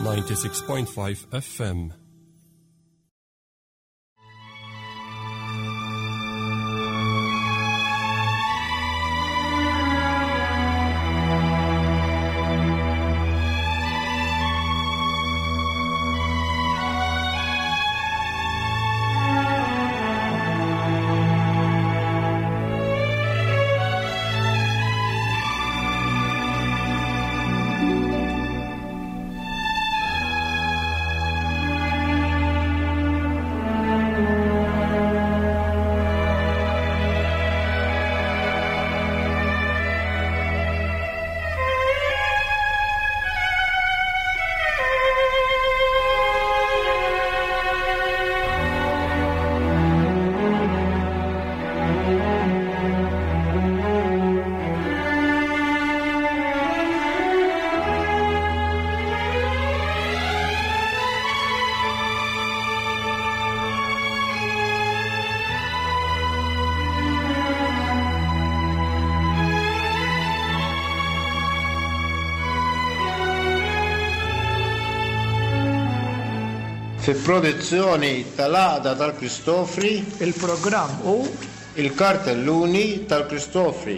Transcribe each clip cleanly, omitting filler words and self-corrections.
96.5 FM. Fi produzzjoni tal-Għaqda tal-Kristofri. Il-programm hu. Il-Kartelluni tal-Kristofri.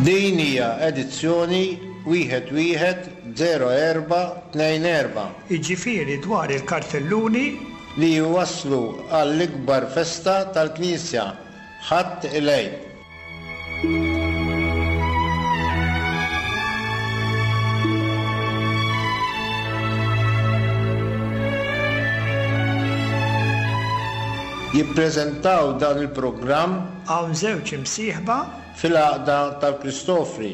Din hija edizzjoni wieħed wieħed 0424. Jiġifieri dwar il-kartelluni. Li jwasslu għall-ikbar festa tal-Knisja, Ħadd il-Għid. Jippreżentaw dan il-programm. Hawn żewġ imsieħba. Fil-Għaqda tal-Kristofri.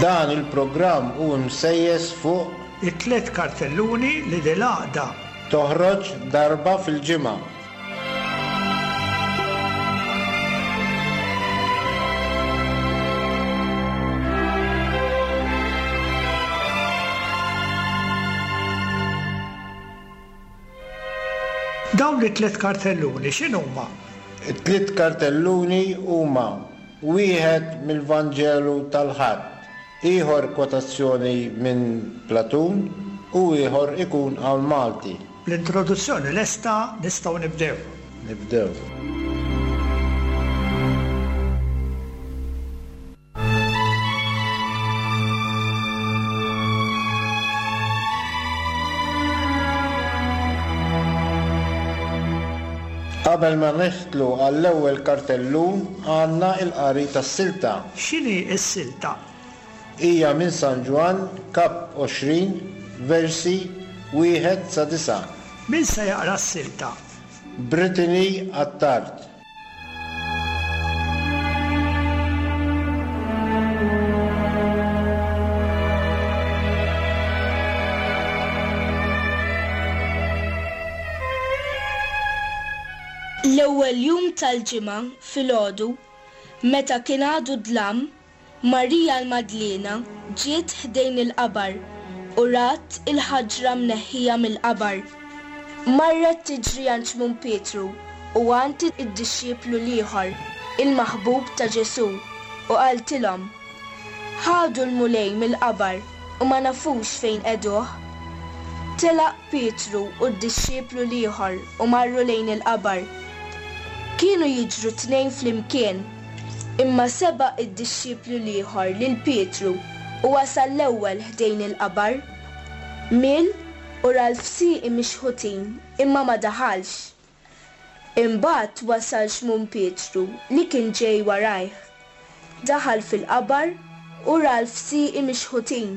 Dan il-programm hu msejjes fuq. It-tlett kartelluni li dil-għaqda. Toħroġ darba fil-ġimgħa. Dawn it-tlett kartelluni x'inhuma? It-tliet kartelluni huma wieħed mill-Vanġelu tal-Ħadd, ieħor kwotazzjoni minn Platun u ieħor ikun qawl Malti. L-introduzzjoni lesta, nistgħu nibdew. Nibdew. Qabel ma nidħlu għall-ewwel kartellun għandna l-qari tas-silta. X'inhi s-silta? Hija minn San Ġwann, Kap 20, versi wieħed sa disgħa. Min se jaqra s-silta? Brittany Attard. L-ewwel jum tal-ġimgħa filgħodu, meta kien għadu dlam, Marija l-Madliena ġiet ħdejn il-qabar u rat il-ħaġra mneħħija mill-qabar. Marret tiġri għand Xmun Pietru u għand id-dixxiplu l-ieħor, il-maħbub ta' Ġesù, u qaltilhom, Ħadu l-Mulej mill-qabar u ma nafux fejn qegħduh. Telaq Pietru u d-dixxiplu l-ieħor u marru lejn il-qabar. Kienu jiġru t-tnejn flimkien. Imma sebaq id-dixxiplu l-ieħor lil Pietru u wasal l-ewwel ħdejn il-qabar. Miel u ra l-fsieqi mixħutin imma ma daħalx. Imbagħad wasal Xmun Pietru li kien ġej warajh. Daħal fil-qabar u ra l-fsieqi mixħutin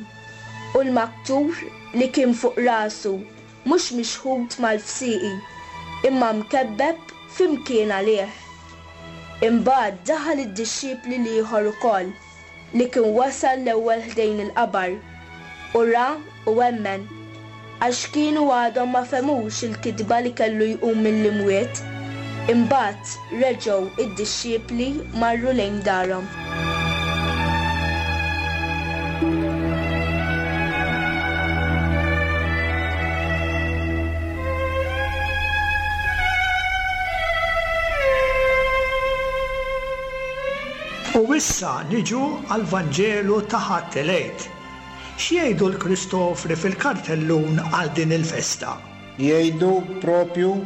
u l-maktur li kien fuq rasu mhux mixħut mal-fsieqi, imma mkebbeb fi mkien għalih. Imbagħad daħal id-dixxipli l-ieħor ukoll, li kien wasal l-ewwel ħdejn il-qabar, u ra u emmen, għax kienu għadhom ma fehmux il-kitba li kellu jqum mill-imwiet. Imbagħad reġgħu d-dixxipli marru lejn darhom. U issa niġu għall-Vanġelu ta' Ħadd il-Għid. X'jgħidu l-Kristofri fil-kartellun għal din il-festa? Jgħidu propju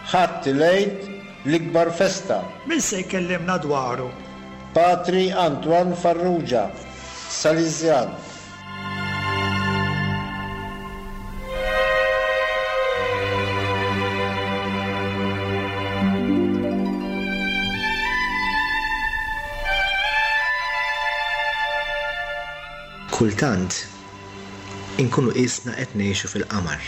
Ħadd il-Għid l-ikbar festa. Min se jkellimna dwaru? Patri Antoine Farrugia, Salesian. Kultant inkunu qisna qed ngħixu fil-qamar.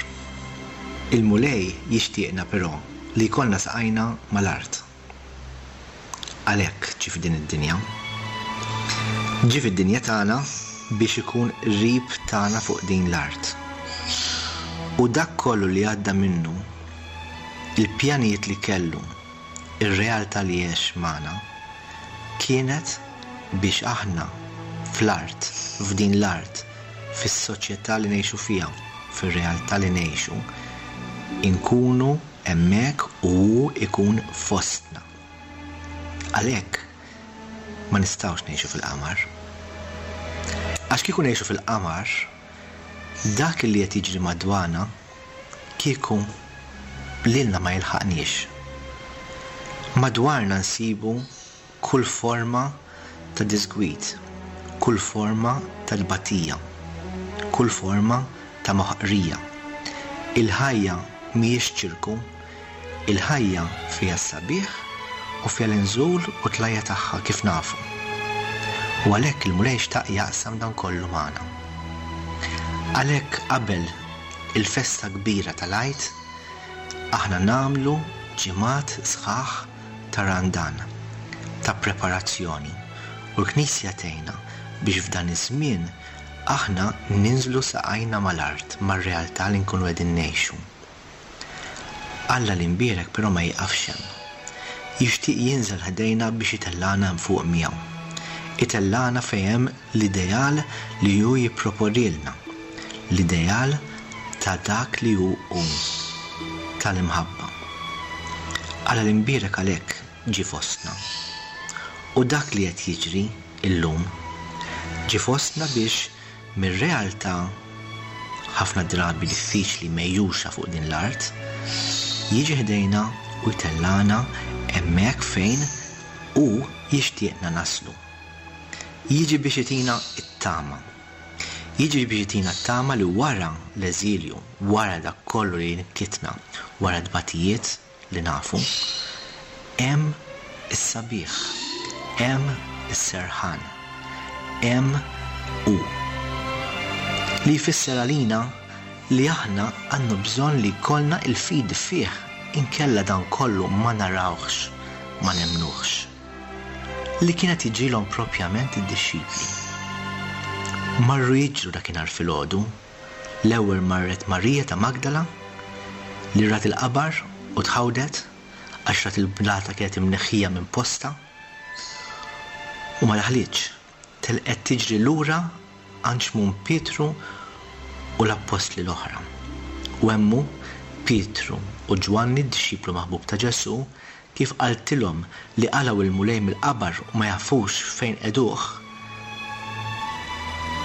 Il-Mulej jixtieqna però li jkollna saqajna mal-art. Għalhekk ġie f'din id-dinja. Ġie fid-dinja tagħna biex ikun qrib tagħna fuq din l-art. U dak kollu li għadda minnu, il-pjanijiet li kellu, ir-realtà li għex magħna, kienet biex aħna fl-art, f'din l-art, fis-soċjetà li ngħixu fiha, fir-realtà li ngħixu, inkunu hemmhekk u hu jkun fostna. Għalhekk ma nistgħux ngħixu fil-qamar. Għax kieku ngħixu fil-qamar, dak li qed jiġri madwarna kieku lilna ma jilħaqniex. Madwarna nsibu kull forma ta' diżgwid, kull forma ta' tbatija, kull forma ta' moħqrija. Il-ħajja mhijiex ċirku, il-ħajja fiha s-sabiħ u fiha l-inżul u t-tlajja' tagħha kif nafu. U għalhekk il-Mulej xtaq jaqsam dan kollu magħna. Għalhekk qabel il-festa kbira tal-Għid, aħna nagħmlu ġimgħat sħaħ ta' Randan, ta' preparazzjoni, u l-Knisja tgħinna biex f'dan iż-żmien aħna ninżlu saqajna mal-art, mar-realtà li nkunu qegħdin ngħixu. Alla l-Imbierek però ma jieqafx hemm. Jixtieq jinżel ħdejna biex itellagħna hemm fuq miegħu. Itellagħna fejn hemm l-ideal li hu jipproponilna, l-ideal ta' dak li hu hu, tal-imħabba. Alla l-Imbierek għalhekk ġie fostna. U dak li qed jiġri illum, ġie fostna biex mir-realtà ħafna drabi diffiċli megħjuxa fuq din l-art, jiġi ħdejna u jtellagħna hemmhekk fejn hu jixtieqna naslu. Jiġi biex itina t-tama. Jiġi biex itina t-tama li wara l-eżilju, wara dak kollu li jnikkitna, wara t-tbatijiet li nafu, hemm is-sabiħ, hemm is-serħan, hemm hu. Li jfisser għalina li aħna għandna bżonn li jkollna l-fidi fih, inkella dan kollu ma narawhx, ma nemmnuhx. Li kien qed jiġrilhom propjament id-dixxipli. Marru jiġru dakinhar filgħodu, l-ewwel marret Marija ta' Magdala, li rat il-qabar u tħawdet għax rat il-blata kienet imneħħija minn postha, u ma daħlitx, telqet tiġri lura għand Xmun Pietru u l-appostli l-oħra. U hemm hu, Pietru u Ġwanni, d-dixxiplu maħbub ta' Ġesù, Kif qaltilhom li qalgħu l-Mulej mill-qabar u ma jafux fejn qegħduh,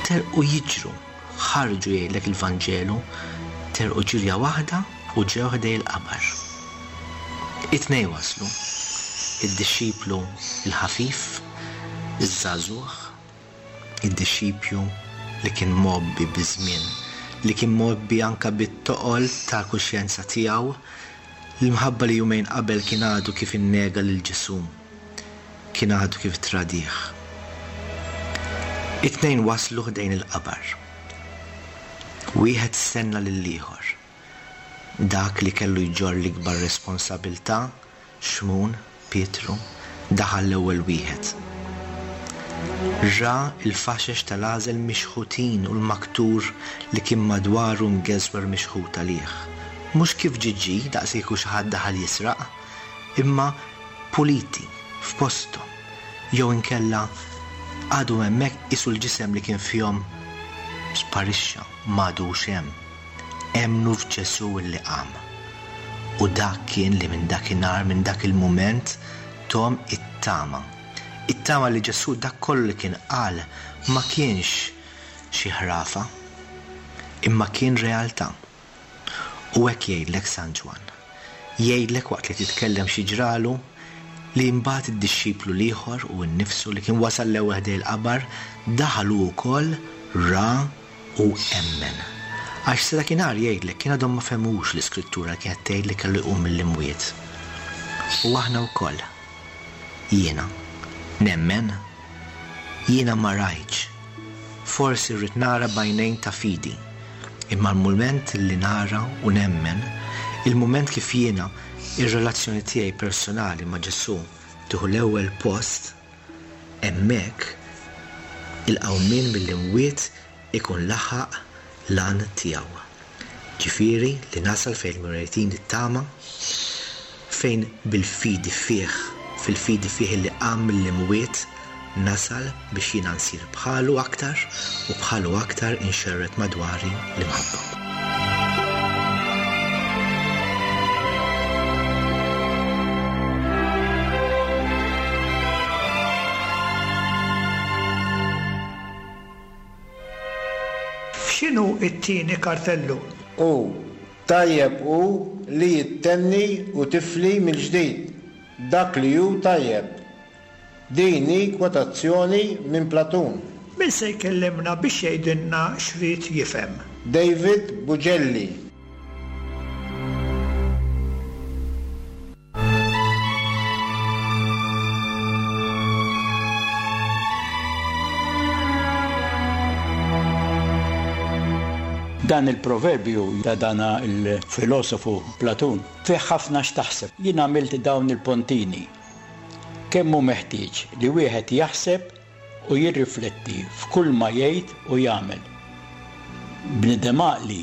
telqu jiġru, ħarġu jgħidlek il-Vanġelu, telqu ġirja waħda u ġew ħdej il-qabar. It-tnejn waslu, id-dixxiplu l-ħafif, iż-żagħżugħ, id-dixxipju li kien mgħobbi biż-żmien, li kien mgħobbi anke bit-toqol tal-kuxjenza tiegħu, l-imħabba li jumejn qabel kien għadu kif innega lil Ġesù, kien għadu kif ttradih. It-tnejn waslu ħdejn il-qabar. Wieħed stenna lill-ieħor. Dak li kellu jġorr l-ikbar responsabilità, Xmun, Pietru, daħal l-ewwel wieħed. Ra l-faxex tal-għażel mixħutin u l-maktur li kien madwaru mgeżwer mixħut għalih. Mhux kif ġie ġie, daqs kieku xi ħadd daħal jisraq. imma puliti, f'posthom, jew inkella għadhom hemmhekk qisu l-ġisem li kien fihom sparixxa, m'għadux hemm. Emmnu f'Ġesù illi qam. U dak kien li minn dakinhar, minn dak il-mument, thom it-tama. It-tama li Ġesù dak kollu li kien qal ma kienx xi ħrafa, imma kien realtà. U hekk jgħidlek San Ġwann. Jgħidlek waqt li qed jitkellem xi ġralu, li mbagħad id-dixxiplu l-ieħor, hu nnifsu, li kien wasal l-ewwel ħdejn il-qabar, daħal hu wkoll, ra u emmen. Għax sa dakinhar jgħidlek kien għadhom ma fehmux l-Iskrittura li kienet tgħid li kellu jqum mill-imwiet. U aħna wkoll. Jiena. Nemmen? Jiena ma rajtx. Forsi rrid nara b'għajnejn ta' fidi. Imma l-mument li nara u nemmen, il-mument kif jiena ir-relazzjoni tiegħi personali ma' Ġesù tieħu l-ewwel post, hemmhekk il-qawmien mill-imwiet ikun laħaq l-għan tiegħu. Ġifieri li nasal fejn il-Mulej jtini t-tama, fejn bil-fidi fih, fil-fidi fih illi qam mill-imwiet, nasal biex jiena nsir bħalu aktar u bħalu aktar inxerred madwari l-imħabba. X'inhu t-tieni kartellun? U tajjeb hu li ittenni u tifli mill-ġdid dak li hu tajjeb. Din hi kwotazzjoni minn Platun. Min se jkellimna biex jgħidilna x'ried jifhem? David Bugelli. Dan il-proverbju ta' dana il-filosofu Platun fih ħafna x'taħseb. Jien għamilt dawn il-pontini. Kemm hu meħtieġ li wieħed jaħseb u jirrifletti f'kull ma jgħid u jagħmel. Bniedem għaqli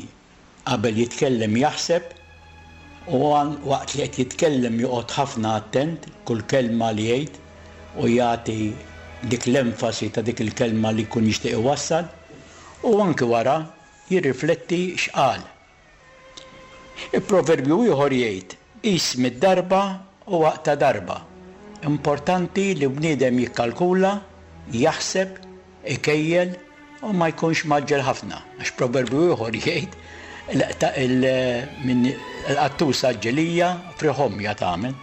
Qabel jitkellem jaħseb u waqt li qed jitkellem joqgħod ħafna attent kull kelma li jgħid u jagħti dik l-enfasi ta' dik il-kelma li jkun jixtieq iwassal u anki wara jirrifletti x'qal. Proverbju ieħor jgħid, Qis mid-darba u aqta' darba. Importanti li bniedem jikkalkula, jaħseb, ikejjel u ma jkunx mgħaġġel ħafna, għax proverbju ieħor jgħid il-qattusa għaġġelija frieħ għomja tagħmel.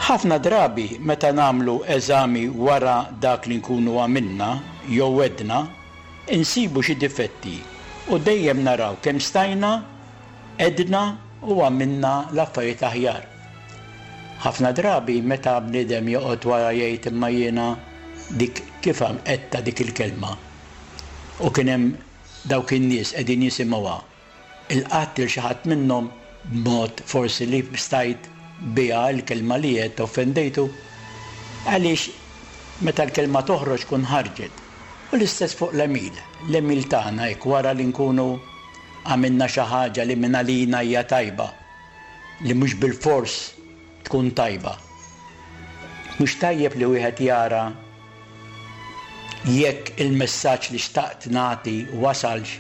Ħafna drabi meta nagħmlu eżami wara dak li nkunu għamilna jew għedna, insibu xi difetti u dejjem naraw kemm stajna għedna u għamilna l-affarijiet aħjar. Ħafna drabi meta bniedem joqgħod wara jgħid imma jiena dik kif għedtha dik il-kelma u kien hemm dawk in-nies qegħdin jisimgħuha, ilqatt lil xi ħadd minnhom b'mod forsi li stajt biha l-kelma li għedt offendejtu? Għaliex meta l-kelma toħroġ tkun ħarġet. U l-istess fuq l-għemil. L-għemil tagħna hekk wara li nkunu għamilna xi ħaġa li mingħalina hija tajba, li mhux bilfors tkun tajba. Mhux tajjeb li wieħed jara jekk il-messaġġ li xtaqt nagħti wasalx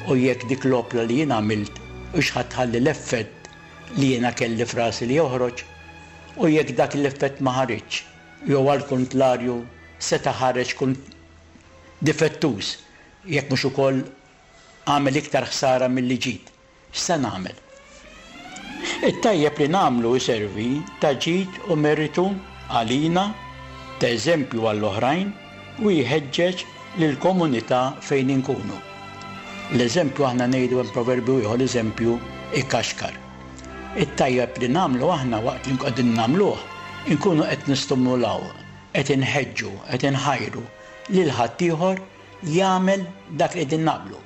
u jekk dik l-opra li jien għamilt hux ħa tħalli l-effett li jiena kelli f'rasi li joħroġ u jekk dak l-effett ma ħariġx jew għall-kuntlarju seta' ħareġ difettuż jekk mhux ukoll għamel iktar ħsara milli ġid. X'se nagħmel? It-tajjeb li nagħmlu jservi ta' ġid u meritu għalina, ta' eżempju għall-oħrajn u jħeġġeġ lill-komunità fejn inkunu. L-eżempju aħna ngħidu hemm proverbju ieħor l-eżempju ikaxkar. It-tajjeb li nagħmlu aħna waqt li qegħdin nagħmluh inkunu qed nistimulaw, qed inħeġġu, qed inħajru lil ħaddieħor jagħmel dak li qegħdin nagħmlu.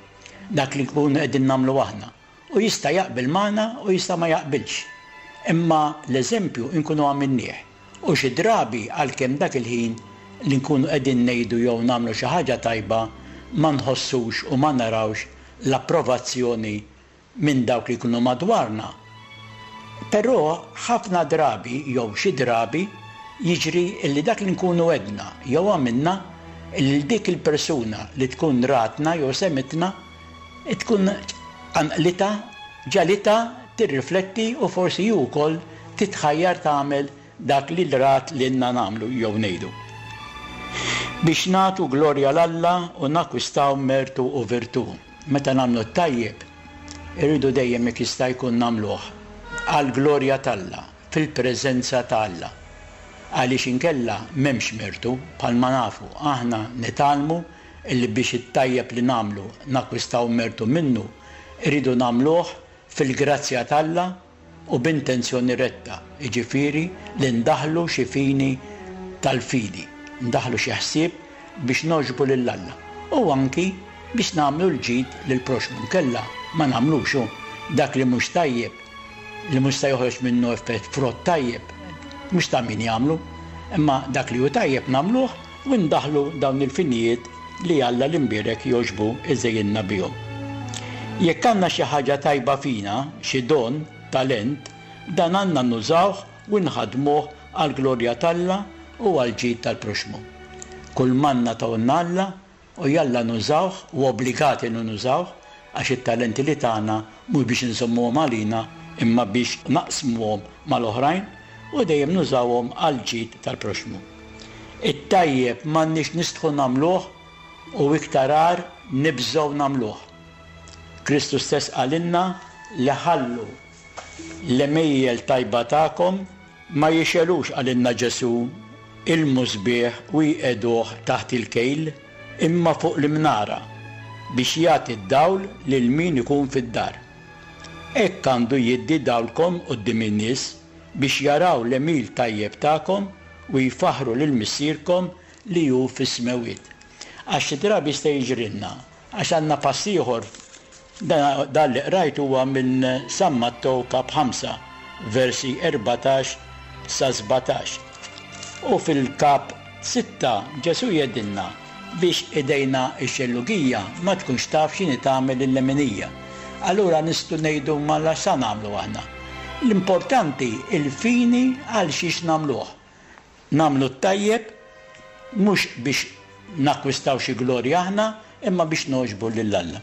Dak li nkunu qegħdin nagħmlu aħna. U jista' jaqbel magħna u jista' ma jaqbilx. Imma l-eżempju nkunu għamilnieh. U xi drabi għalkemm dak il-ħin li nkunu qegħdin ngħidu jew nagħmlu xi ħaġa tajba ma nħossux u ma narawx l-approvazzjoni minn dawk li jkunu madwarna. Però ħafna drabi jew xi drabi jiġri illi dak li nkunu għedna jew għamilna lil dik il-persuna li tkun ratna jew semitna tkun qanqlitha, ġagħlitha tirrifletti u forsi hi wkoll titħajjar tagħmel dak li rat lilna nagħmlu jew ngħidu. Biex nagħtu glorja 'l Alla u nakkwistaw mertu u virtù. Meta nagħmlu t-tajjeb, irridu dejjem jekk jista' jkun nagħmluh għall-glorja t'Alla, fil-preżenza ta' Alla. Għaliex inkella m'hemmx mertu, bħalma nafu, aħna nitgħallmu illi biex it-tajjeb li nagħmlu nakkwistaw mertu minnu, irridu nagħmluh fil-grazzja t'Alla u b'intenzjoni retta, jiġifieri li ndaħħlu xi fini tal-fidi, ndaħħlu xi ħsieb biex nogħġbu lil Alla u anki biex nagħmlu l-ġid lill-proxxmu, inkella ma nagħmlux hu dak li mhux tajjeb, li mhux se joħroġ minnu effett frott tajjeb, mhux ta' min jagħmlu, imma dak li hu tajjeb nagħmluh u ndaħħlu dawn il-finijiet li Alla l-Imbierek jogħġbu jżejjinna bihom. Jekk għandna xi ħaġa tajba fina, xi don, talent, dan għandna nużawh u nħaddmuh għall-glorja t'Alla u għall-ġid tal-proxxmu. Kull m'għandna tahulna Alla u jalla nużawh u obbligati li nużawh għax it-talenti li tana mhux biex inżommuhom għalina imma biex naqsmuhom mal-oħrajn u dejjem nużawhom għall-ġid tal-proxxmu. It-tajjeb m'għandniex nistħu nagħmluh u iktar agħar nibżgħu nagħmluh. Kristu stess qalilna li ħallu l-għemejjel tajba tagħkom ma jixegħlux qalilna Ġesù il-musbieħ u jqiegħduh taħt il-kejl imma fuq l-imnara biex jagħti d-dawl lil min ikun fid-dar. Hekk għandu jiddi dawlkom quddiem in-nies biex jaraw l-għemil tajjeb tagħkom u jfaħħru lil Missierkom li hu fis-smewwiet. Għax xi drabi jista' jiġrilna, għax għandna pass ieħor, dan dan li qrajt huwa minn San Mattew kap 5, versi 14 sa 17. U fil-kap 6 Ġesù jgħidilna biex idejna x-xellugija ma tkunx taf x'inhi tagħmel il-leminija. Allura nistgħu ngħidu mela x'sa nagħmlu aħna? L-importanti il-fini għal xiex nagħmluh. Nagħmlu t-tajjeb mhux biex nakkwistaw xi glorja aħna imma biex nogħġbu lil Alla.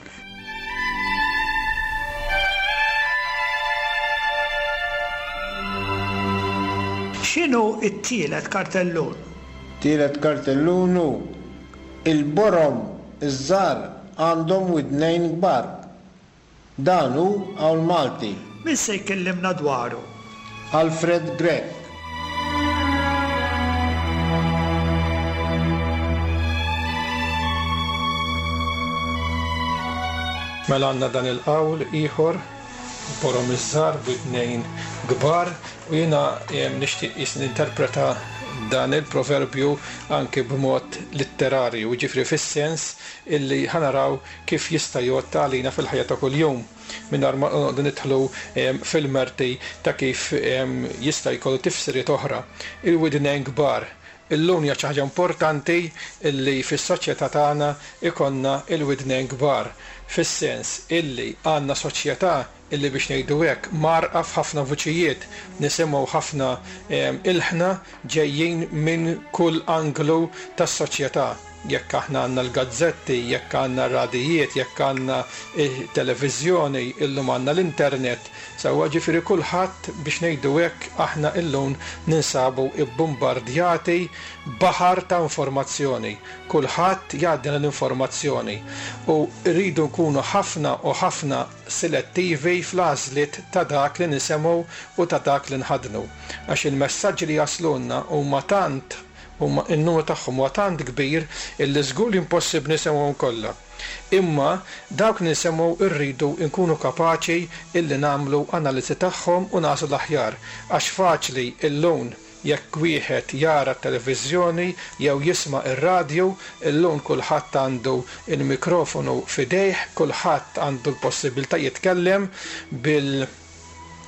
X'inhu t-tielet kartellun? Tielet kartellun hu, Il-borom iż-żgħar għandhom widnejn kbar. Dan hu qawl Malti. Min se jkellimna dwaru? Alfred Grech. Mela għandna dan il-qawl ieħor, borom iż-żgħar b'widnejn kbar, u jiena nixtieq qisni ninterpreta dan il-proverbju anki b'mod litterarju, jiġifieri fis-sens illi ħa naraw kif jista' jgħodd għalina fil-ħajja ta' kuljum, mingħajr ma noqogħdu nidħlu fil-merti ta' kif jista' jkollu tifsiriet oħra. Il-widnejn kbar. Illum hija xi ħaġa importanti illi fis-soċjetà tagħna jkollna l-widnejn kbar, fis-sens illi għandna soċjetà illi biex ngħidu hekk mgħarrqa f'ħafna vuċijiet, nisimgħu ħafna ilħna ġejjin minn kull anglu tas-soċjetà. Jekk aħna għandna l-gazzetti, jekk għandna r-radijiet, jekk għandna t-televiżjoni, illum għandna l-internet, sewwa ġifieri kulħadd biex ngħidu hekk aħna illum ninsabu bbumbardjati b'baħar ta' informazzjoni. Kulħadd jgħaddilna l-informazzjoni u rridu nkunu ħafna u ħafna silettivi fl-għażliet ta' dak li nisemgħu u ta' dak li nħaddnu. Għax il-messaġġi li jaslulna huma tant Huma n-numru tagħhom huwa tant kbir illi żgur li impossibbli nisemgħuhom kollha. Imma dawk li nisemgħu rridu nkunu kapaċi illi nagħmlu analiżi tagħhom u nagħżlu l-aħjar. Għax faċli illum jekk wieħed jara t-televiżjoni jew jisma' r-radju, illum kulħadd għandu l-mikrofonu f'idejh, kulħadd għandu l-possibbiltà jitkellem bil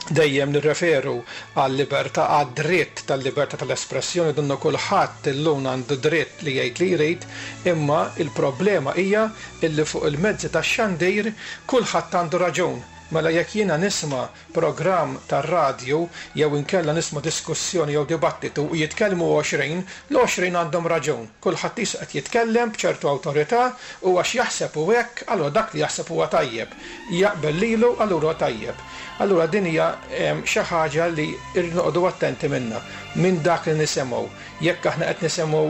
Dejjem nirreferu għal-libertà, għad-dritt tal-libertà tal-espressjoni, donnu kulħadd illum għandu dritt li jgħid li jrid, imma l-problema hija illi fuq il-mezzi tax-xandir kulħadd għandu raġun. Mela jekk jiena nisma' programm tar-radju jew inkella nisma' diskussjoni jew dibattitu u jitkellmu 20, l-20 għandhom raġun. Kulħadd qisu qed jitkellem b'ċertu awtorità u għax jaħseb hu hekk, allura dak li jaħseb huwa tajjeb. Jaqbel lilu, allura huwa tajjeb. Allura din hija xi ħaġa li rridu noqogħdu attenti minnha, minn dak li nisimgħu. Jekk aħna qed nisimgħu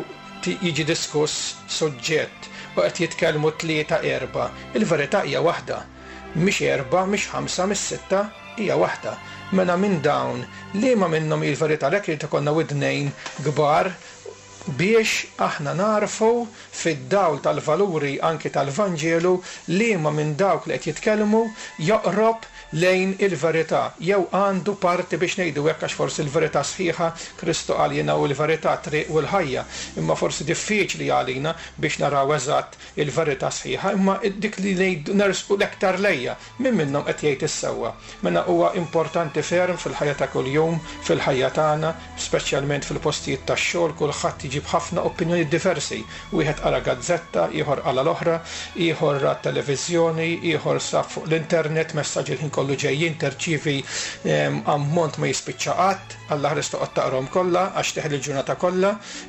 jiġi diskuss suġġett u qed jitkellmu tlieta erbgħa, il-verità hija waħda. Mhix erbgħa, mhix ħamsa, mhix sitta, hija waħda. Mela minn dawn, liema minnhom hi l-verità? Għalhekk irid ikollna widnejn kbar biex aħna nagħrfu fid-dawl tal-valuri anki tal-Vanġelu liema minn dawk li qed jitkellmu joqrob lejn il-verità jew għandu parti biex ngħidu hekk għax forsi l-verità sħiħa Kristu qal jiena hu l-verità, t-triq u l-ħajja imma forsi diffiċli għalina biex naraw eżatt il-verità sħiħa, imma dik li ngħidu nersqu l-aktar lejha, min minnhom qed jgħid is-sewwa? Mela huwa importanti ferm fil-ħajja ta' kuljum, fil-ħajja tagħna, speċjalment fil-postijiet tax-xogħol, kulħadd iġib ħafna opinjonijiet diversi. Wieħed qara gazzetta, ieħor qala l-oħra, ieħor ra t-televiżjoni, ieħor sab fuq l-internet, messaġġi l-ħin kollu ġejjin, terċievi ammont ma jispiċċa qatt, Alla ħares toqgħod taqrahom kollha għax teħel il-ġurnata kollha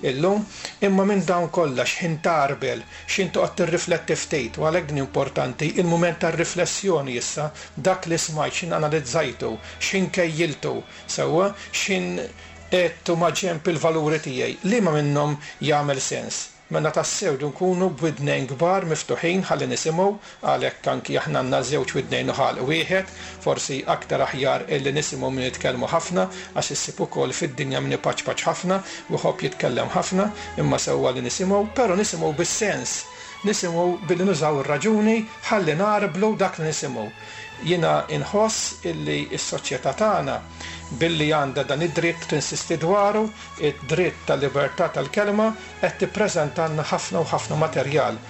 illum. Imma minn dawn kollha x'ħin tgħarbel, x'ħin toqgħod tirrifletti ftit, u għalhekk din importanti, il-mument tar-riflessjoni issa, dak li smajt, x'ħin analizzajtu, x'ħin kejjiltu, sewwa, x'ħin qegħedtu maġenb il-valuri tiegħi, liema minnhom jagħmel sens? Mela tassew rridu nkunu b'widnejn kbar miftuħin ħalli nisimgħu, għalhekk anki aħna għandna żewġ widnejn u ħalq wieħed, forsi aktar aħjar illi nisimgħu milli nitkellmu ħafna, għax issib ukoll fid-dinja min ipaċpaċ ħafna u jħobb jitkellem ħafna, imma sewwa li nisimgħu, però nisimgħu bis-sens, nisimgħu billi nużaw ir-raġuni ħalli ngħarblu dak li nisimgħu. Jiena nħoss illi s-soċjetà tagħna, billi għandha dan id-dritt tinsisti dwaru, id-dritt tal-libertà tal-kelma, qed tippreżentalna ħafna u ħafna materjal,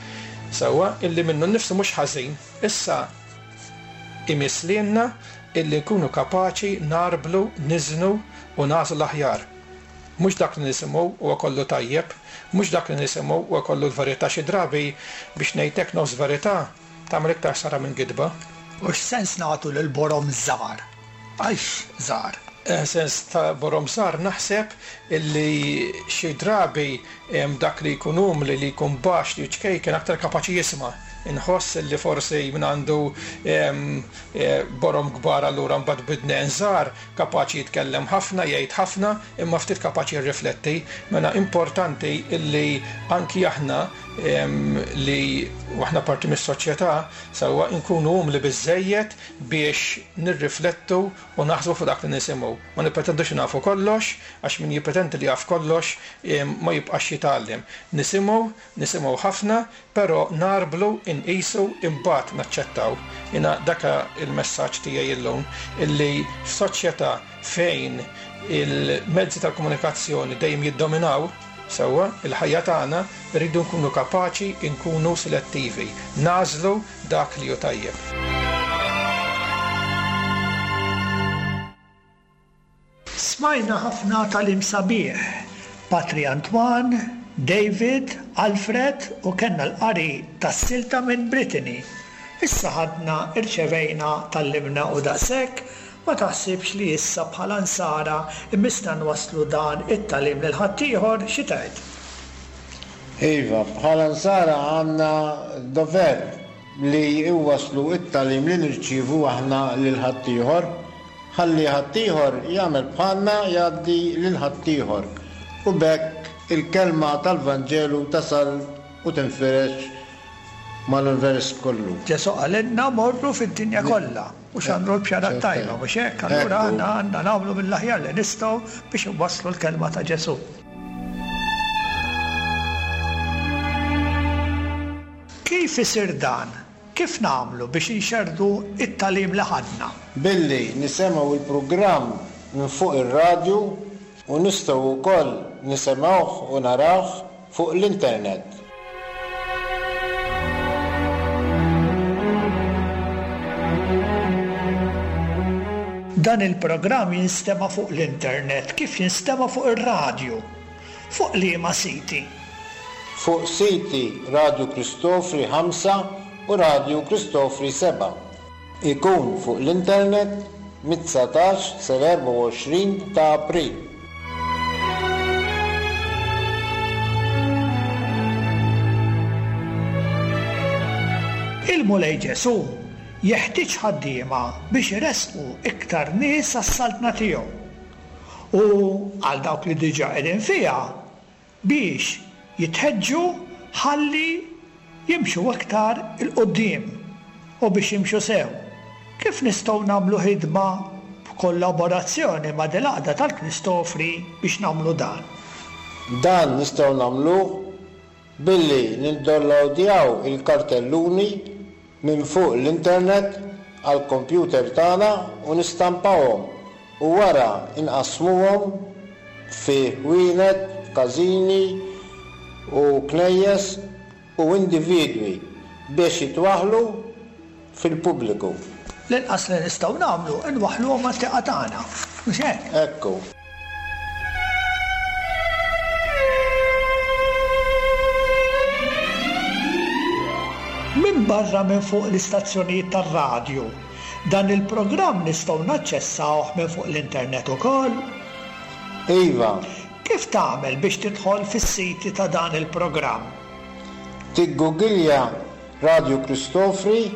sewwa, illi minnu nnifsu mhux ħażin. Issa imiss lilna illi nkunu kapaċi ngħarblu, niżnu u nagħżlu l-aħjar. Mhux dak li nisimgħu huwa kollu tajjeb, mhux dak li nisimgħu huwa kollu l-verità. Xi drabi, biex ngħid hekk, nofs verità tagħmel iktar ħsara minn gidba. U x'sens nagħtu lill-borom żgħar? Għalx żgħar? Sens ta' borom żgħar naħseb illi xi drabi dak li jkun umli, li jkun baxx, li ċkejken aktar kapaċi jisma'. Inħoss illi forsi min għandu borom kbar allura mbagħad b'widnejn żgħar kapaċi jitkellem ħafna, jgħid ħafna, imma ftit kapaċi jirrifletti. Mela importanti illi anki aħna li aħna parti mis-soċjetà sewwa nkunu umli biżżejjed biex nirriflettu u naħsbu fuq dak li nisimgħu. Ma nippretendux li nafu kollox, għax min jippretendi li jaf kollox ma jibqax jitgħallem. Nisimgħu, nisimgħu ħafna, però ngħarblu, inqisu, imbagħad naċċettaw. Jiena dak il-messaġġ tiegħi illum, illi f'soċjetà fejn il-mezzi tal-komunikazzjoni dejjem jiddominaw, sewwa, il-ħajja tagħna, irridu nkunu kapaċi nkunu selettivi, nagħżlu dak li hu tajjeb. Smajna ħafna tagħlim sabiħ, Patri Antoine, David, Alfred u kellna l-qari tas-silta minn Brittany. Issa ħadna, irċevejna, tgħallimna u daqshekk, ma taħsibx li issa bħala Nsara jmissna nwasslu dan it-tagħlim lil ħaddieħor, xi tgħid? Iva, bħala Nsara għandna dover li nwasslu t-tagħlim li nirċievu aħna lil ħaddieħor, ħalli ħaddieħor jagħmel bħalna jgħaddi lil ħaddieħor u b'hekk il-kelma tal-Vanġelu tasal u tinfirex mal-univers kollu. Ġesù qalilna morru fid-dinja kollha u xandru l-bxara t-tajba, mhux hekk? Allura aħna għandna nagħmlu mill-aħjar li nistgħu biex inwasslu l-kelma ta' Ġesù. Kif isir dan? Kif nagħmlu biex inxerrdu t-tagħlim li ħadna? Billi nisemgħu l-programm minn fuq ir-radju u nistgħu wkoll nisemgħuh u narawh fuq l-internet. Dan il-programm jinstema' fuq l-internet kif jinstema' fuq ir-radju. Fuq liema siti? Fuq siti Radju Kristofri 5 u Radju Kristofri 7. Ikun fuq l-internet mit-19 sal-24 ta' April. Il-Mulej Ġesù jeħtieġ ħaddiema biex iressqu iktar nies għas-Saltna tiegħu. U għal dawk li diġà qegħdin fiha, biex jitħeġġu ħalli jimxu aktar 'il quddiem u biex jimxu sew. Kif nistgħu nagħmlu ħidma b'kollaborazzjoni ma' dil-Għaqda tal-Kristofri biex nagħmlu dan? Dan nistgħu nagħmluh billi niddownlowdjaw il-kartelluni minn fuq l-internet għall-kompjuter tagħna u nistampawhom u wara nqassmuhom fi ħwienet, każini u knejjes u individwi biex jitwaħħlu fil-pubbliku. L-inqas li nistgħu nagħmlu nwaħħluhom mat-tieqa tagħna, mhux hekk? Hekk hu. Minbarra minn fuq l-istazzjonijiet tar-radju, dan il-programm nistgħu naċċessawh minn fuq l-internet ukoll? Iva. Kif tagħmel biex tidħol fis-siti ta' dan il-programm? Tiggugilja Radju Kristofri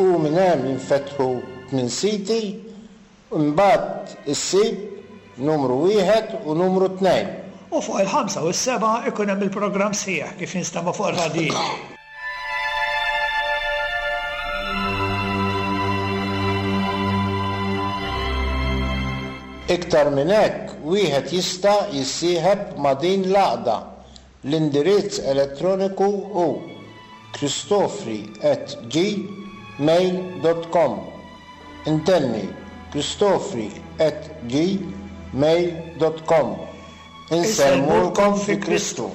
u minn hemm jinfetħu tmien siti Imbagħad issib numru wieħed u numru tnejn. U fuq il-ħamsa u s-sebgħa ikun hemm il-programm sħiħ kif jinstema' fuq ir-radjijiet. Iktar minn hekk, wieħed jista' jissieħeb ma' din l-għaqda L-indirizz elettroniku hu kristofri at gmail dot com. Intenni, kristofri at gmail dot com. Insellmulkom fi Kristu.